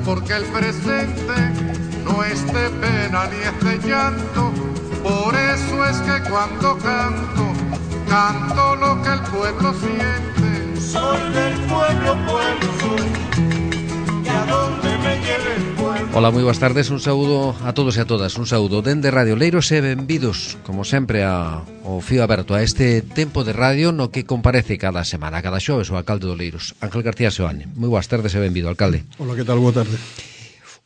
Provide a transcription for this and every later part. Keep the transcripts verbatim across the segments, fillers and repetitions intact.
porque el presente no es de pena ni es de llanto. Por eso es que cuando canto, canto lo que el pueblo siente. Soy del pueblo, pueblo soy, y a donde me lleve el pueblo. Ola, moi boas tardes, un saúdo a todos e a todas. Un saúdo dende Radio Leiros e benvidos, como sempre, a, ao fío aberto a este tempo de radio no que comparece cada semana, cada xoves, o alcalde do Leiros, Ángel García Seoane. Moi boas tardes e benvido, alcalde. Ola, que tal? Boa tarde.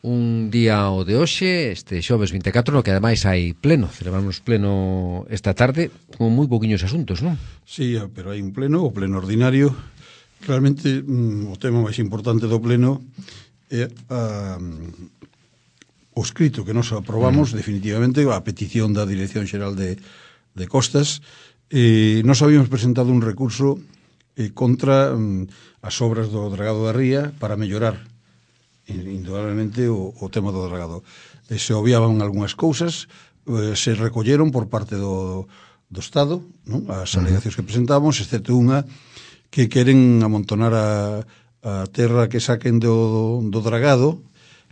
Un día o de hoxe, este xoves vinte e catro, no que ademais hai pleno. Celebramos pleno esta tarde con moi poquinhos asuntos, non? Sí, pero hai un pleno, o pleno ordinario. Realmente, mm, o tema máis importante do pleno é a, o escrito que nos aprobamos, mm. definitivamente, a petición da Dirección Xeral de, de Costas. Eh, nos habíamos presentado un recurso eh, contra mm, as obras do dragado da ría para mellorar indudablemente o, o tema do dragado. E se obviaban algunhas cousas, eh, se recolleron por parte do, do Estado, non? As alegacións que presentamos, excepto unha que queren amontonar a, a terra que saquen do, do dragado,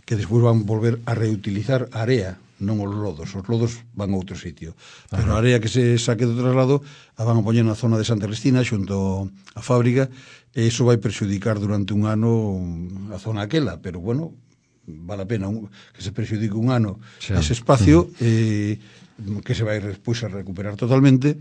que despois van volver a reutilizar a area, non os lodos. Os lodos van a outro sitio. Pero a area que se saque do traslado a van a poñer na zona de Santa Cristina, xunto á fábrica, e iso vai perxudicar durante un ano a zona aquela, pero bueno, vale a pena un, que se perxudique un ano sí. ese espacio, eh, que se vai despois a recuperar totalmente,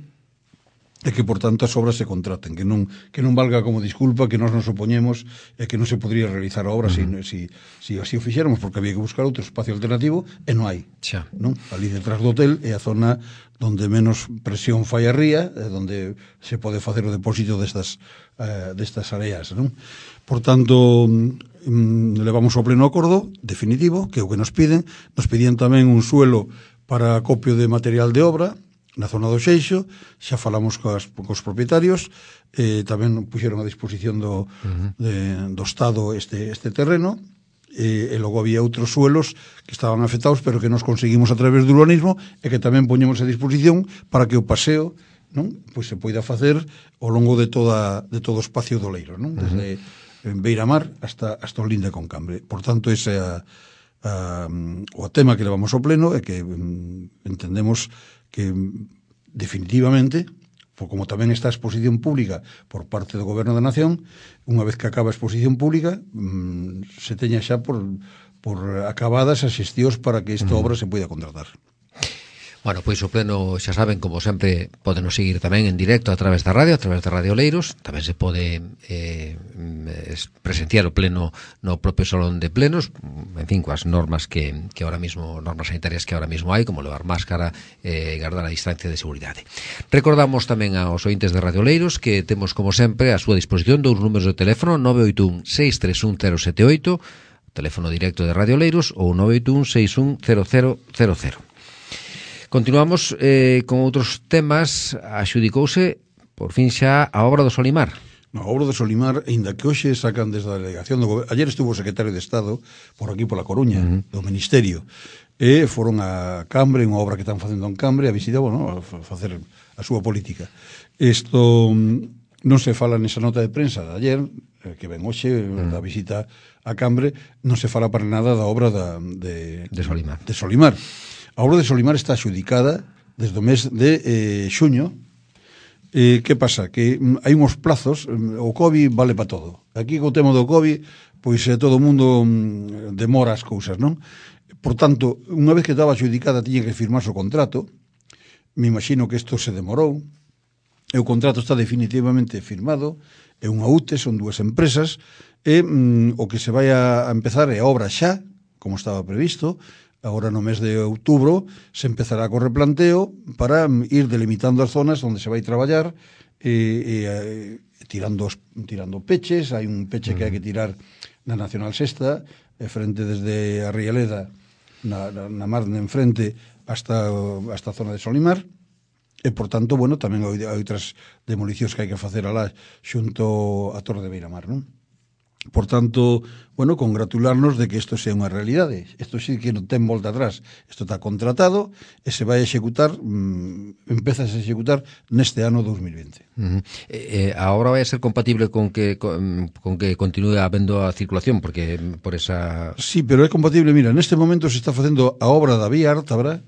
e que, por tanto, as obras se contraten, que non que non valga como disculpa que nós nos opoñemos e que non se podría realizar a obra uh-huh. se si, si así o fixéramos, porque había que buscar outro espacio alternativo e non hai. Xa. Non? Ali detrás do hotel é a zona donde menos presión fai a ría, donde se pode facer o depósito destas, uh, destas areas, non? Por tanto, um, levamos ao pleno acordo definitivo, que é o que nos piden. Nos pedían tamén un suelo para acopio de material de obra na zona do Xeixo, xa falamos coas, cos propietarios, eh, tamén puxeron a disposición do, uh-huh. de, do Estado este, este terreno, e, e logo había outros suelos que estaban afectados, pero que nos conseguimos a través do urbanismo, e que tamén poñemos a disposición para que o paseo, non, pois se poida facer ao longo de toda de todo o espacio do Leiro, non? Desde uh-huh. Beiramar hasta, hasta o Linde con Cambre. Por tanto, ese é a, a, o tema que levamos ao pleno, e que um, entendemos que definitivamente, como tamén está a exposición pública por parte do Goberno da Nación, unha vez que acaba a exposición pública, mmm, se teña xa por, por acabadas as xestións para que esta obra se poida contratar. Bueno, pois o pleno, xa saben, como sempre, podenos seguir tamén en directo a través da radio, a través de Radio Leiros. Tamén se pode eh, presenciar o pleno no propio salón de plenos, en fin, coas normas que, que ahora mismo, normas sanitarias que ahora mismo hai, como levar máscara e eh, guardar a distancia de seguridade. Recordamos tamén aos ointes de Radio Leiros que temos, como sempre, a súa disposición dous números de teléfono, nove oito un, seis tres un, cero sete oito, teléfono directo de Radio Leiros, ou nove oito un, seis un, cero cero cero cero. Continuamos eh, con outros temas. Axudicouse, por fin xa, a obra do Solimar. No, a obra do Solimar, ainda que hoxe sacan desde a delegación do goberno. Ayer estuvo o secretario de Estado por aquí, pola Coruña, uh-huh. do Ministerio, e foron a Cambre, unha obra que están facendo en Cambre, a visita, bueno, a facer a súa política. Isto non se fala nesa nota de prensa de ayer, que ven hoxe, uh-huh. da visita a Cambre, non se fala para nada da obra da, de, de Solimar. De Solimar. A obra de Solimar está axudicada desde o mes de eh, xuño. Eh, que pasa? Que mm, hai uns plazos, mm, o COVID vale para todo. Aquí co tema do COVID, pois eh, todo o mundo mm, demora as cousas, non? Por tanto, unha vez que estaba axudicada tiña que firmarse o contrato. Me imagino que isto se demorou. E o contrato está definitivamente firmado. É unha U T E, son dúas empresas. E mm, o que se vai a empezar é a obra xa, como estaba previsto. Agora no mes de outubro se empezará co replanteo para ir delimitando as zonas onde se vai traballar e, e, e tirando, tirando peches. Hai un peche que hai que tirar na Nacional Sexta, e frente desde a Rialeda, na, na, na mar de enfrente, hasta, hasta a zona de Solimar. E, por tanto, bueno, tamén hai, hai outras demolicións que hai que facer alá xunto a Torre de Beiramar, non? Por tanto, bueno, congratularnos de que isto sea unha realidade. Isto sí que non ten volta atrás. Isto está contratado e se vai a executar, mmm, empeza a executar neste ano dos mil vinte. Uh -huh. eh, ahora vai a ser compatible con que con, con que continúe habendo a circulación, porque por esa... Sí, pero é compatible. Mira, neste momento se está facendo a obra da vía Ártabra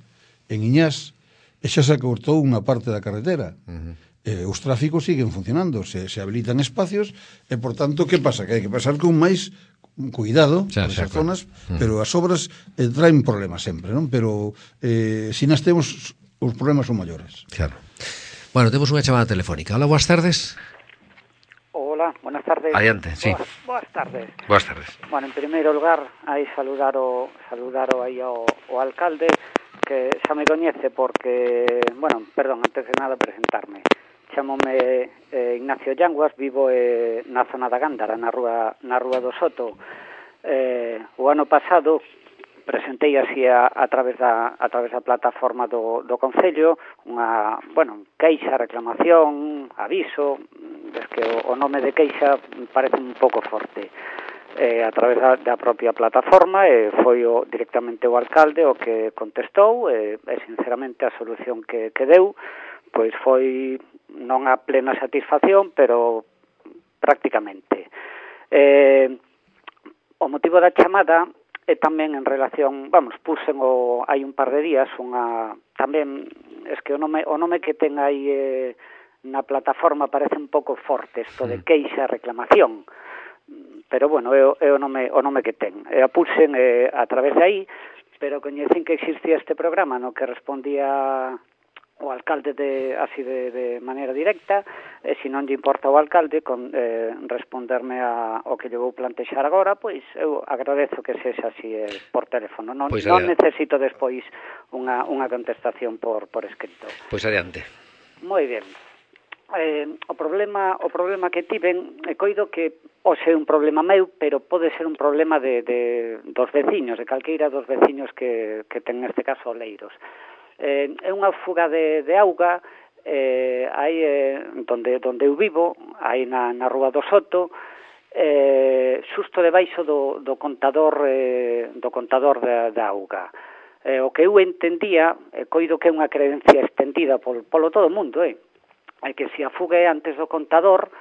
en Iñás e xa se cortou unha parte da carretera. Uh -huh. Eh, os tráficos siguen funcionando, se, se habilitan espacios e, por tanto, que pasa? Que hai que pasar con máis cuidado xa, por xa, esas zonas, claro. pero as obras eh, traen problemas sempre, non? Pero eh, se nas temos, os problemas son maiores. Claro. Bueno, temos unha chamada telefónica. Hola, boas tardes. Hola, buenas tardes. Adiante, sí. Boas, boas tardes. Boas tardes. Bueno, en primeiro lugar, aí saludar o, saludar o, aí ao, o alcalde, que xa me coñece porque, bueno, perdón, antes de nada presentarme. Chámome eh, Ignacio Llanguas, vivo eh, na zona da Gándara, na rúa, na rúa do Soto. Eh, o ano pasado presentei así a, a través da a través da plataforma do, do Concello unha, bueno, queixa, reclamación, aviso, es que o, o nome de queixa parece un pouco forte. Eh, a través da, da propia plataforma e eh, foi o, directamente o alcalde o que contestou e, eh, sinceramente a solución que, que deu pois foi non a plena satisfacción, pero prácticamente. Eh, o motivo da chamada é tamén en relación, vamos, puxen o, hai un par de días unha, tamén, es que o nome, o nome que ten aí eh, na plataforma parece un pouco forte, isto de queixa, reclamación, pero bueno, é o, é o, nome, o nome que ten. E a puxen eh, a través de aí, pero coñecen que existía este programa no que respondía o alcalde de, así de, de maneira directa, e se non lle importa o alcalde con, eh, responderme a, o que lle vou plantexar agora, pois eu agradezo que sexa así eh, por teléfono. Non, pois non necesito despois unha, unha contestación por, por escrito. Pois adiante. Moi ben. Eh, o problema o problema que tiven, e coido que hoxe é un problema meu, pero pode ser un problema de, de dos veciños, de calqueira dos veciños que, que ten neste caso Oleiros. Eh, é unha fuga de, de auga eh, aí eh, donde, donde eu vivo, aí na, na rúa do Soto, eh, xusto debaixo do, do contador eh, do contador da, da auga. Eh, o que eu entendía, e eh, coido que é unha creencia extendida pol, polo todo o mundo, eh, é que se a fuga é antes do contador,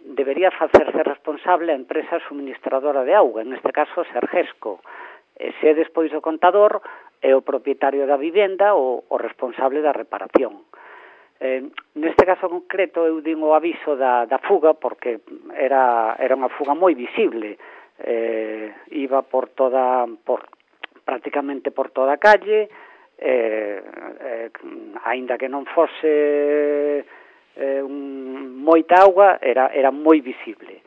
debería facerse responsable a empresa suministradora de auga, en este caso Sergesco. E se é despois do contador, é o propietario da vivenda o, o responsable da reparación. Eh, neste caso concreto eu din o aviso da, da fuga porque era, era unha fuga moi visible. Eh, iba por toda, por, prácticamente por toda a calle, eh, eh, aínda que non fose eh, un, moita auga, era, era moi visible.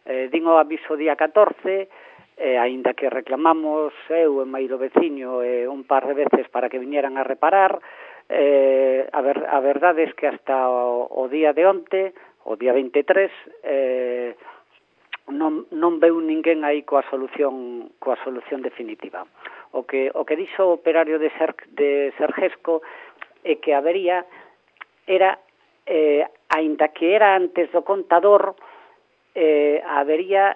Eh, din o aviso día catorce, eh, aínda que reclamamos eu e Mairo veciño eh, un par de veces para que viñeran a reparar, eh, a, ver, a verdade é que hasta o, o día de onte, o día veintitrés, eh, non, non veu ninguén aí coa solución coa solución definitiva. O que, o que dixo o operario de, Ser, de Sergesco é que habería, era, eh, aínda que era antes do contador, eh, habería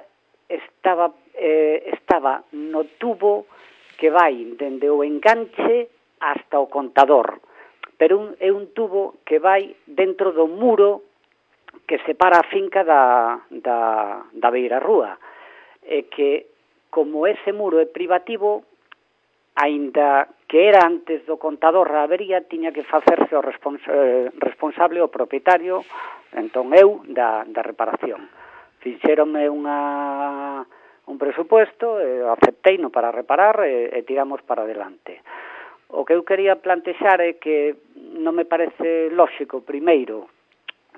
estaba eh, estaba no tubo que vai dende o enganche hasta o contador, pero un, é un tubo que vai dentro do muro que separa a finca da, da, da beira rúa, e que como ese muro é privativo, aínda que era antes do contador a avería, tiña que facerse o respons eh, responsable o propietario, entón eu, da, da reparación. Fixéronme unha, un presupuesto, eh, acepteino para reparar e, e tiramos para adelante. O que eu quería plantexar é que non me parece lóxico, primeiro,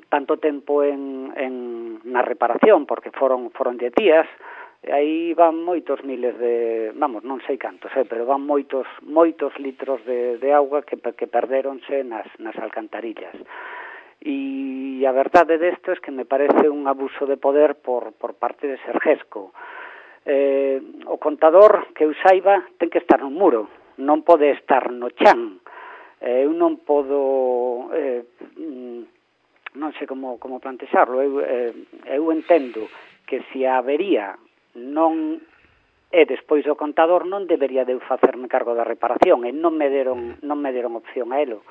tanto tempo en, en, na reparación, porque foron, foron de días, e aí van moitos miles de, vamos, non sei cantos, eh, pero van moitos moitos litros de, de auga que, que perderonse nas, nas alcantarillas. E a verdade desto é que me parece un abuso de poder por, por parte de Sergesco. Eh, o contador, que eu saiba, ten que estar no muro, non pode estar no chan. Eh, eu non podo, eh, non sei como, como plantexarlo, eu, eh, eu entendo que se a avería non e despois o contador non debería de eu facerme cargo da reparación, e non me deron non me deron opción a elo.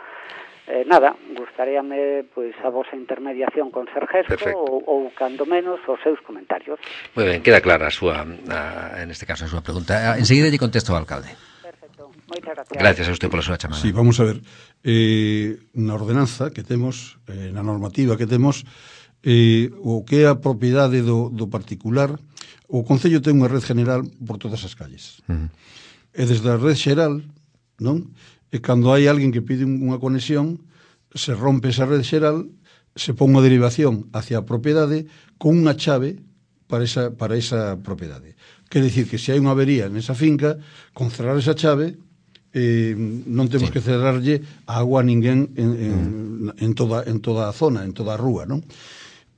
Eh, nada, gustaríame pois a vosa intermediación con Sergesco ou, ou cando menos os seus comentarios. Moi ben, queda clara a súa a, en este caso a súa pregunta. Enseguida lle contesto ao alcalde. Perfecto, moitas gracias. Gracias a usted pola súa chamada. Sí, vamos a ver, eh, na ordenanza que temos, eh, na normativa que temos, eh, o que é a propiedade do, do particular, o Concello ten unha red general por todas as calles. Uh -huh. E desde a red xeral, non? E cando hai alguén que pide unha conexión, se rompe esa red xeral, se pon unha derivación hacia a propiedade con unha chave para esa, para esa propiedade. Quer dicir que se hai unha avería nesa finca, con cerrar esa chave, eh, non temos sí. que cerrarlle a agua a ninguén en, en, mm. en, toda, en toda a zona, en toda a rúa, non?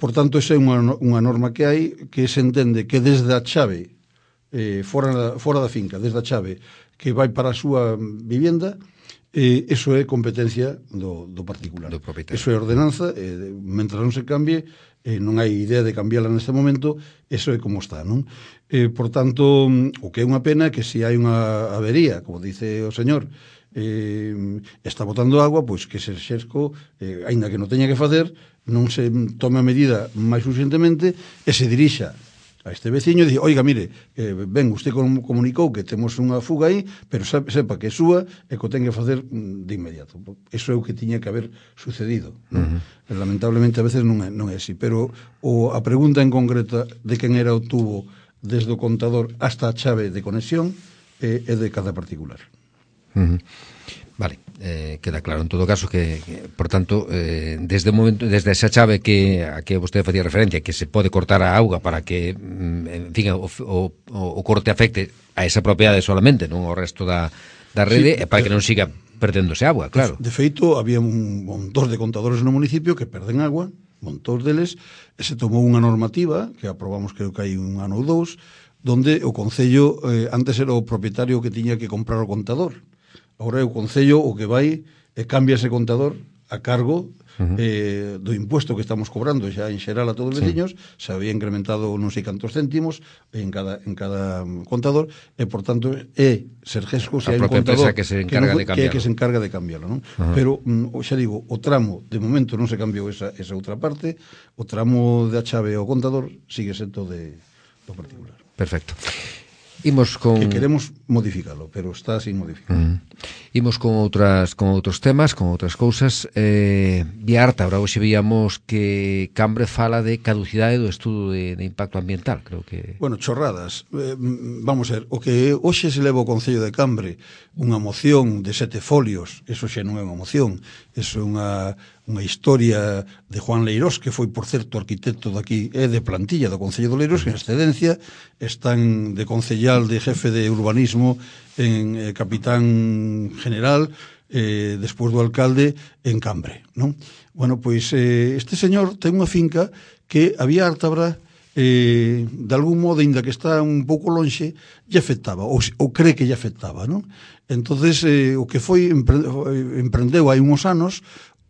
Por tanto, esa é unha, unha norma que hai, que se entende que desde a chave, eh, fora, fora da finca, desde a chave que vai para a súa vivienda, eh, eso é competencia do, do particular. Do propietario. Eso é ordenanza, eh, mentre non se cambie, eh, non hai idea de cambiarla neste momento, eso é como está, non? Eh, por tanto, o que é unha pena é que se hai unha avería, como dice o señor, eh, está botando agua, pois que se Xesco, eh, aínda que non teña que facer, non se tome a medida máis urgentemente e se dirixa a este veciño e dice, oiga, mire, eh, ben, usted comunicou que temos unha fuga aí, pero sepa que é súa e que o ten que facer de inmediato. Eso é o que tiña que haber sucedido. Uh -huh. Lamentablemente a veces non é, non é así, pero o, a pregunta en concreta de quen era o tubo desde o contador hasta a chave de conexión eh, é de cada particular. Uh -huh. Vale, eh, queda claro en todo caso que, que por tanto, eh, desde o momento, desde esa chave que a que vostede facía referencia, que se pode cortar a auga para que, en fin, o, o, o corte afecte a esa propiedade solamente, non ao resto da, da rede, sí, e para que non siga perdéndose agua, claro. De, de feito, había un montón de contadores no municipio que perden agua, montón deles, e se tomou unha normativa, que aprobamos creo que hai un ano ou dous, donde o Concello, eh, antes era o propietario que tiña que comprar o contador. Agora é o Concello o que vai e cambia ese contador a cargo uh -huh. eh, do impuesto que estamos cobrando xa en xeral a todos os veciños, sí. Se había incrementado non sei cantos céntimos en cada, en cada contador e, por tanto, é Sergesco se hai un contador que se encarga que, no, de cambiarlo. Que, que se encarga de cambiarlo, non? Uh -huh. Pero, mm, xa digo, o tramo, de momento non se cambiou esa, esa outra parte, o tramo da chave ao contador sigue sendo de, do particular. Perfecto. Imos con... Que queremos modificalo, pero está sin modificar. Mm. Imos con outras con outros temas, con outras cousas. Eh, vía Ártabra, hoxe víamos que Cambre fala de caducidade do estudo de, de impacto ambiental, creo que... Bueno, chorradas. Eh, vamos a ver, o que hoxe se leva o Concello de Cambre, unha moción de sete folios, eso xa non é unha moción, eso é unha... unha historia de Juan Leirós, que foi, por certo, arquitecto daqui, é de plantilla do Concello de Leirós, en excedencia, están de concellal, de jefe de urbanismo, en eh, capitán general, eh, despois do alcalde, en Cambre, non? Bueno, pois, eh, este señor ten unha finca que a vía Ártabra, eh, de algún modo, ainda que está un pouco lonxe, lle afectaba, ou, ou cree que lle afectaba, non? Entonces, eh, o que foi, emprendeu hai uns anos,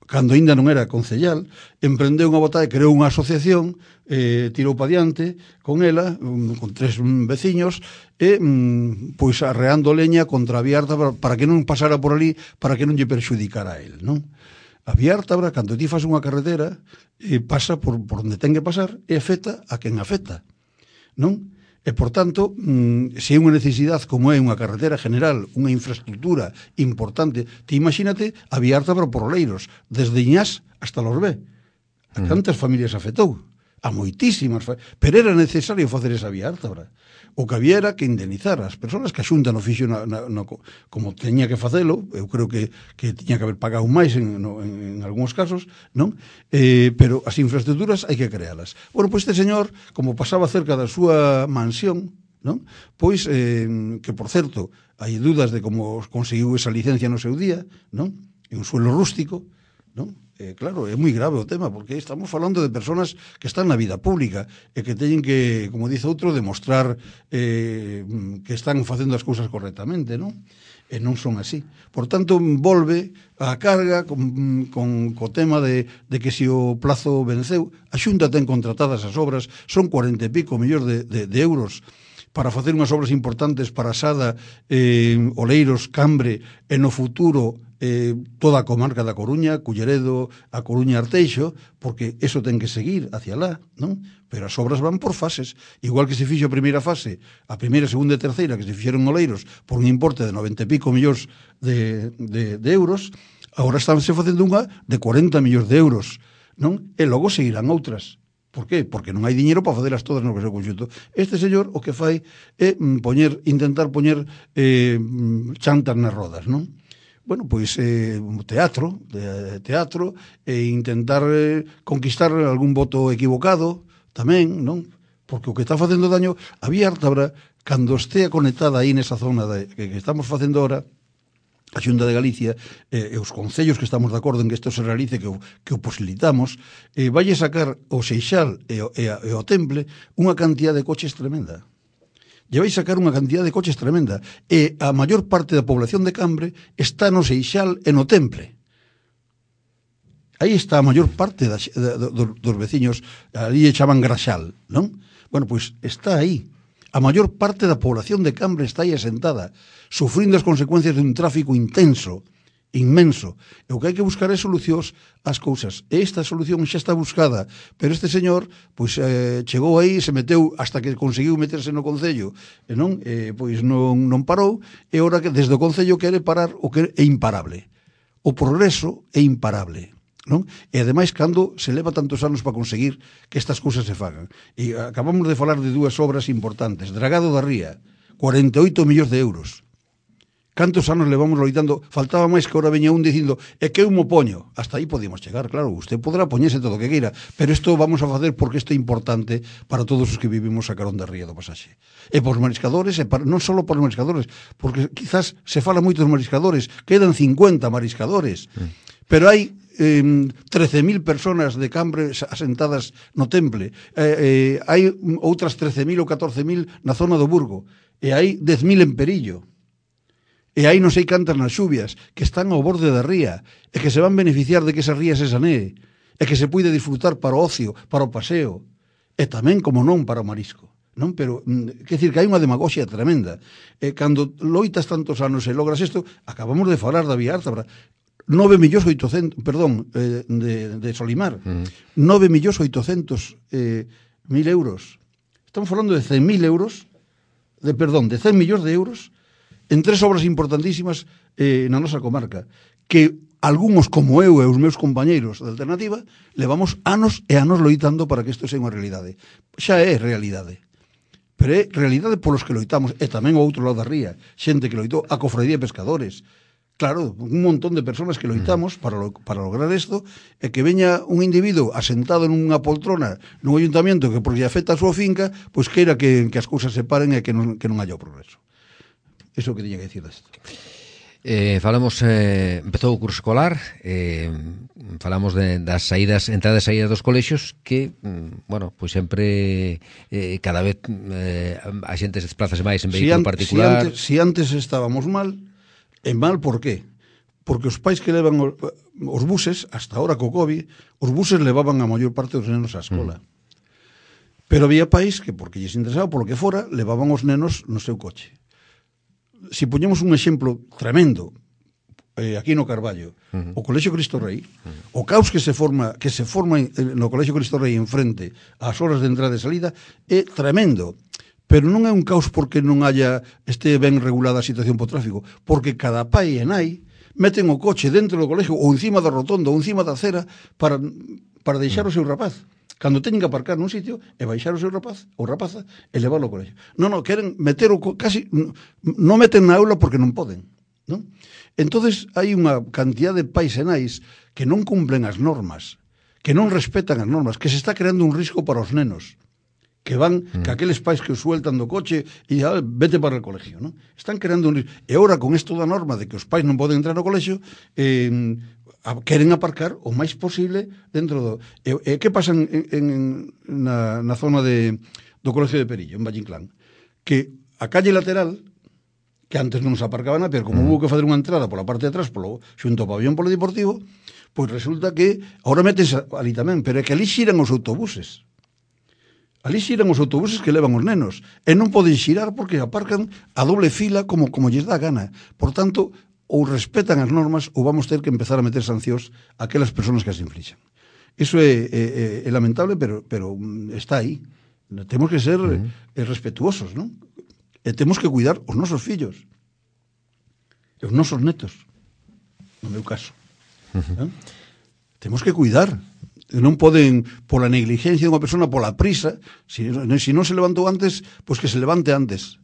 cando aínda non era concellal, emprendeu unha botada, creou unha asociación, eh, tirou pa diante con ela, um, con tres um, veciños, e um, pois arreando leña contra a vía Ártabra para que non pasara por ali, para que non lle perxudicara a él, non? A vía Ártabra, cando ti fas unha carretera, eh, pasa por, por onde ten que pasar e afecta a quen afecta, non? E, por tanto, se é unha necesidade como é unha carretera general, unha infraestructura importante, ti imagínate a vía Ártabra por Oleiros, desde Iñás hasta Lorbé. A cantas familias afectou? A moitísimas, pero era necesario facer esa vía Ártabra. O que había era que indemnizar as persoas que a Xunta non fixo na, na, na, como teña que facelo, eu creo que, que tiña que haber pagado máis en, no, en, en algúns casos, non? Eh, pero as infraestructuras hai que crealas. Bueno, pois este señor, como pasaba cerca da súa mansión, non? Pois, eh, que por certo, hai dudas de como conseguiu esa licencia no seu día, non? En un suelo rústico, non? Eh, claro, é moi grave o tema, porque estamos falando de personas que están na vida pública e que teñen que, como dice outro, demostrar eh, que están facendo as cousas correctamente, non? e non son así. Por tanto, volve a carga con, con co tema de, de que se o plazo venceu, a Xunta ten contratadas as obras, son cuarenta e pico millóns de, de, de euros para facer unhas obras importantes para Sada, eh, Oleiros, Cambre, e no futuro eh, toda a comarca da Coruña, Culleredo, a Coruña, Arteixo, porque eso ten que seguir hacia lá, non? Pero as obras van por fases, igual que se fixo a primeira fase, a primeira, segunda e terceira que se fixeron en Oleiros por un importe de noventa e pico millóns de, de, de euros, agora estánse facendo unha de cuarenta millóns de euros, non? E logo seguirán outras. Por qué? Porque non hai diñeiro para facelas todas no seu conxunto. Este señor o que fai é poñer, intentar poñer eh, chantas nas rodas, non? Bueno, pois eh, teatro, de, teatro, e intentar eh, conquistar algún voto equivocado, tamén, non? Porque o que está facendo daño, a Vía Ártabra, cando estea conectada aí nesa zona de, que, que estamos facendo ahora, a Xunta de Galicia eh, e os concellos que estamos de acordo en que isto se realice, que o, que o posibilitamos, eh, vai sacar o Seixal e o, e, a, e o Temple unha cantidad de coches tremenda. Lle vai sacar unha cantidad de coches tremenda. E a maior parte da población de Cambre está no Seixal e no Temple. Aí está a maior parte da, da, dos, dos veciños, ali lle chaman Graxal, non? Bueno, pois está aí. A maior parte da población de Cambre está aí asentada, sufrindo as consecuencias dun tráfico intenso, inmenso. E o que hai que buscar é solucións ás cousas. E esta solución xa está buscada, pero este señor pois eh, chegou aí, se meteu hasta que conseguiu meterse no Concello, e non, eh, pois non, non parou, e ora que desde o Concello quere parar o que é imparable. O progreso é imparable, non? E ademais cando se leva tantos anos para conseguir que estas cousas se fagan. E acabamos de falar de dúas obras importantes. Dragado da Ría, cuarenta e oito millóns de euros. Cantos anos levamos loitando, faltaba máis que ahora veña un dicindo é que eu mo poño, hasta aí podíamos chegar, claro, usted podrá poñerse todo o que queira, pero isto vamos a facer porque isto é importante para todos os que vivimos a carón da ría do Pasaxe. E por os mariscadores, e para, non só por os mariscadores, porque quizás se fala moito dos mariscadores, quedan cincuenta mariscadores, mm. pero hai eh, trece mil personas de Cambre asentadas no Temple, eh, eh, hai outras trece mil ou catorce mil na zona do Burgo, e hai dez mil en Perillo. E aí non sei cantas nas xubias que están ao borde da ría e que se van beneficiar de que esa ría se sanee e que se puide disfrutar para o ocio, para o paseo e tamén, como non, para o marisco, non? Pero, quer dicir que hai unha demagoxia tremenda. E cando loitas tantos anos e logras isto, acabamos de falar da Vía Ártabra, nove millóns oitocentos, perdón, eh, de, de Solimar, mm. nove millóns oitocentos eh, mil euros. Estamos falando de cen mil euros, de, perdón, de cen millóns de euros en tres obras importantísimas eh, na nosa comarca, que algúns como eu e os meus compañeiros da Alternativa levamos anos e anos loitando para que isto sea unha realidade. Xa é realidade, pero é realidade polos que loitamos, e tamén o outro lado da ría, xente que loitou, a Cofradía de Pescadores, claro, un montón de persoas que loitamos para, lo, para lograr isto, e que veña un individuo asentado nunha poltrona nun ayuntamiento que porque afecta a súa finca, pois queira que, que as cousas se paren e que non, que non haya o progreso. Iso que tiña que dicir desto. Eh, falamos, eh, empezou o curso escolar, eh, falamos de, das saídas, entradas e saídas dos colexios, que, bueno, pois sempre eh, cada vez eh, a xente se desplazase máis en vehículo si particular. Si antes, si antes estábamos mal, e mal por qué? Porque os pais que levan os, os buses, hasta ahora co COVID, os buses levaban a maior parte dos nenos á escola. Mm. Pero había pais que, porque lles interesaba, polo que fora, levaban os nenos no seu coche. Si poñemos un exemplo tremendo eh, aquí no Carballo, uh-huh. o Colexio Cristo Rei, uh-huh. o caos que se forma que se forma no Colexio Cristo Rei en frente ás horas de entrada e salida é tremendo, pero non é un caos porque non haya este ben regulada a situación po tráfico, porque cada pai e nai meten o coche dentro do colexio ou encima da rotonda ou encima da acera para, para deixar uh-huh. o seu rapaz. Cando teñen que aparcar nun sitio e baixar o seu rapaz ou rapaza e levarlo ao colexio. Non, non, queren meter o casi non meten na aula porque non poden, non? Entonces hai unha cantidad de pais e nais que non cumplen as normas, que non respetan as normas, que se está creando un risco para os nenos, que van, mm. que aqueles pais que os sueltan do coche e ah, vete para o colexio, non? Están creando un risco. E agora con isto da norma de que os pais non poden entrar no colexio, eh, queren aparcar o máis posible dentro do... E, e que pasa en, en, na, na zona de, do Colexio de Perillo, en Vallinclán? Que a calle lateral, que antes non se aparcaban a pé, como mm. hubo que fazer unha entrada pola parte de atrás, polo, xunto ao pabellón polideportivo, pois resulta que agora metense ali tamén, pero é que ali xiran os autobuses. Ali xiran os autobuses que levan os nenos, e non poden xirar porque aparcan a doble fila como, como lles dá gana. Por tanto, ou respetan as normas ou vamos ter que empezar a meter sancións a aquelas persoas que as inflixan. Iso é, é, é lamentable, pero, pero está aí. Temos que ser mm. respetuosos, non? E temos que cuidar os nosos fillos e os nosos netos, no meu caso. Uh-huh. ¿Eh? Temos que cuidar. Non poden, pola negligencia de unha persona, pola prisa, se si non se levantou antes, pois que se levante antes,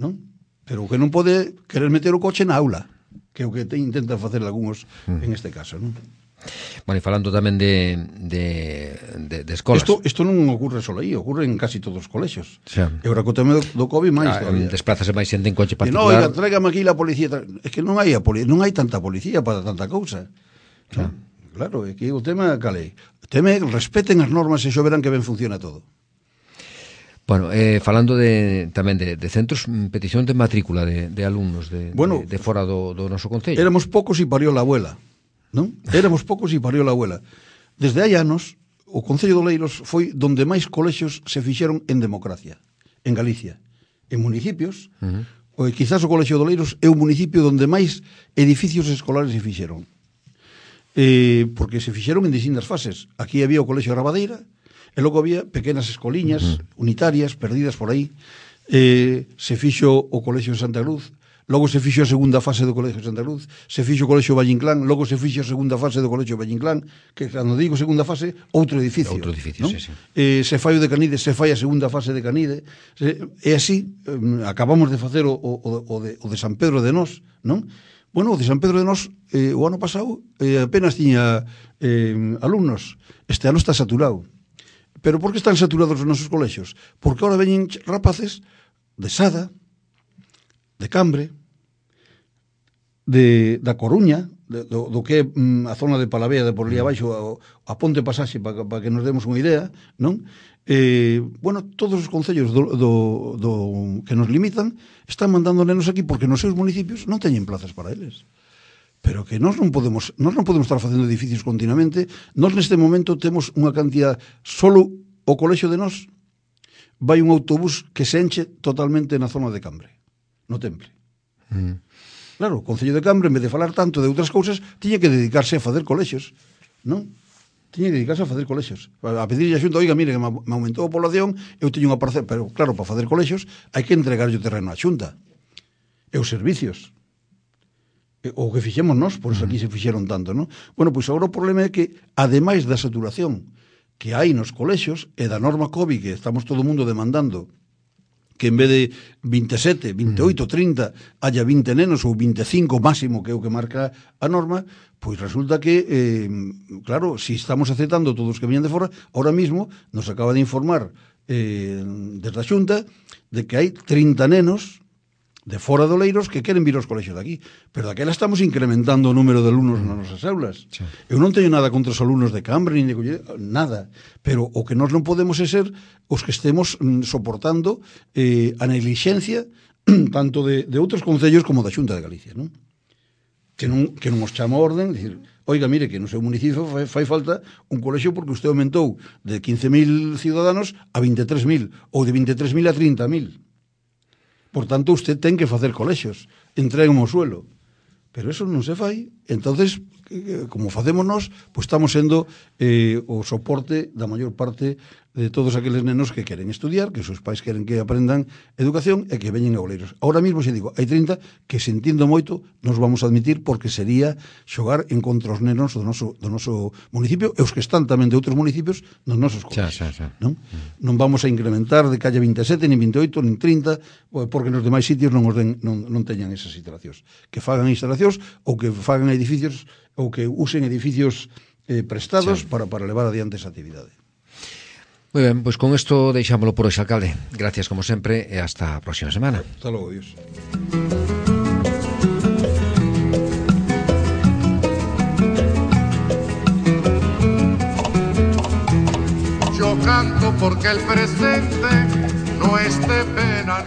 non? Pero o que non pode querer meter o coche na aula, que é o que te intentan facer algúns uh-huh. en este caso, non? Bueno, e falando tamén de, de, de, de escolas. Isto, isto non ocurre só aí, ocurre en casi todos os colexios. Xa. E agora co tema do, do COVID máis ah, todavía. Desplázase máis xente en coche particular. No, oiga, tráigame aquí la policía. É que non hai a poli... non hai tanta policía para tanta cousa. Xa. Claro, é que o tema calei. O tema é que respeten as normas e xo verán que ben funciona todo. Bueno, eh, falando de, tamén de, de centros, petición de matrícula de, de alumnos de, bueno, de, de fora do, do noso concello. Éramos poucos e parió la abuela. Non? Éramos poucos e parió la abuela. Desde hai anos, o Concello de Oleiros foi donde máis colexios se fixeron en democracia, en Galicia. En municipios, uh-huh. ou quizás o Colexio de Oleiros é o municipio donde máis edificios escolares se fixeron. Eh, porque se fixeron en distintas fases. Aquí había o Colexio de Rabadeira, e logo había pequenas escoliñas uh-huh. unitarias, perdidas por aí. Eh, se fixo o Colexio de Santa Cruz, logo se fixo a segunda fase do Colexio de Santa Cruz, se fixo o Colexio Valle Inclán, logo se fixo a segunda fase do Colexio Valle Inclán, que cando digo segunda fase, outro edificio. Outro edificio, ¿no? sí, sí. Eh, se fai o de Canide, se fai a segunda fase de Canide, se, e así, eh, acabamos de facer o, o, o, de, o de San Pedro de Nós, non? Bueno, o de San Pedro de Nós, eh, o ano pasado, eh, apenas tiña eh, alumnos. Este ano está saturado. Pero por que están saturados os nosos colexios? Porque ahora veñen rapaces de Sada, de Cambre, de, da Coruña, de, do, do que é mm, a zona de Palavea, de por ali abaixo, a, a Ponte Pasaxe, para pa que nos demos unha idea, non? Eh, bueno, todos os concellos do, do, do, que nos limitan están mandando nenos aquí porque nos seus municipios non teñen plazas para eles. Pero que nós non podemos, nós non podemos estar facendo edificios continuamente. Nós neste momento temos unha cantidad, solo o colexio de nós vai un autobús que se enche totalmente na zona de Cambre, no Temple. Mm. Claro, o Concello de Cambre, en vez de falar tanto de outras cousas, tiña que dedicarse a facer colexios, non? Tiña que dedicarse a facer colexios. A pedirlle a xunta, oiga, mire, que me aumentou a población, eu teño unha parcela, pero claro, para facer colexios hai que entregarlle o terreno á xunta. E os servicios. E, o que fixemos nós, por eso aquí se fixeron tanto, non? Bueno, pois agora o problema é que, ademais da saturación que hai nos colexios e da norma COVID que estamos todo o mundo demandando que en vez de veintisiete, veintiocho, trinta haya vinte nenos ou veinticinco máximo que é o que marca a norma, pois resulta que eh, claro, si estamos aceptando todos os que veñan de fora, ahora mismo nos acaba de informar eh, desde a Xunta de que hai trinta nenos de fora de Oleiros que queren vir aos colexios de aquí, pero daquela estamos incrementando o número de alumnos nas nosas aulas. Sí. Eu non teño nada contra os alumnos de Cambre, ni de Colleda, nada, pero o que nós non podemos é ser os que estemos mm, soportando eh, a neglixencia tanto de, de outros concellos como da Xunta de Galicia, non? Que non, que non os chama a orden, dicir, oiga, mire, que no seu municipio fai, fai falta un colexio porque usted aumentou de quince mil ciudadanos a veintitrés mil, ou de veintitrés mil a trinta mil. Por tanto, usted ten que facer colexios, entreguen o suelo. Pero eso non se fai, entonces, como facemos nós, pois estamos sendo eh, o soporte da maior parte de todos aqueles nenos que queren estudiar, que os seus pais queren que aprendan educación e que veñen a Oleiros. Ahora mismo, xe digo, hai trinta que, sentindo moito, nos vamos a admitir porque sería xogar en contra os nenos do noso, do noso municipio e os que están tamén de outros municipios nos nosos colexios. Xa, xa, xa. Non? Mm. non vamos a incrementar de que haya veintisiete, nin veintiocho, nin trinta, porque nos demais sitios non, os den, non, non teñan esas instalacións. Que fagan instalacións ou que fagan edificios ou que usen edificios eh, prestados sí. para, para levar adiante esa actividade. Moi ben, pois con isto deixámoslo por hoxe, alcalde. Gracias como sempre e hasta a próxima semana. Hasta logo, Dios. Yo canto porque el presente no esté pena.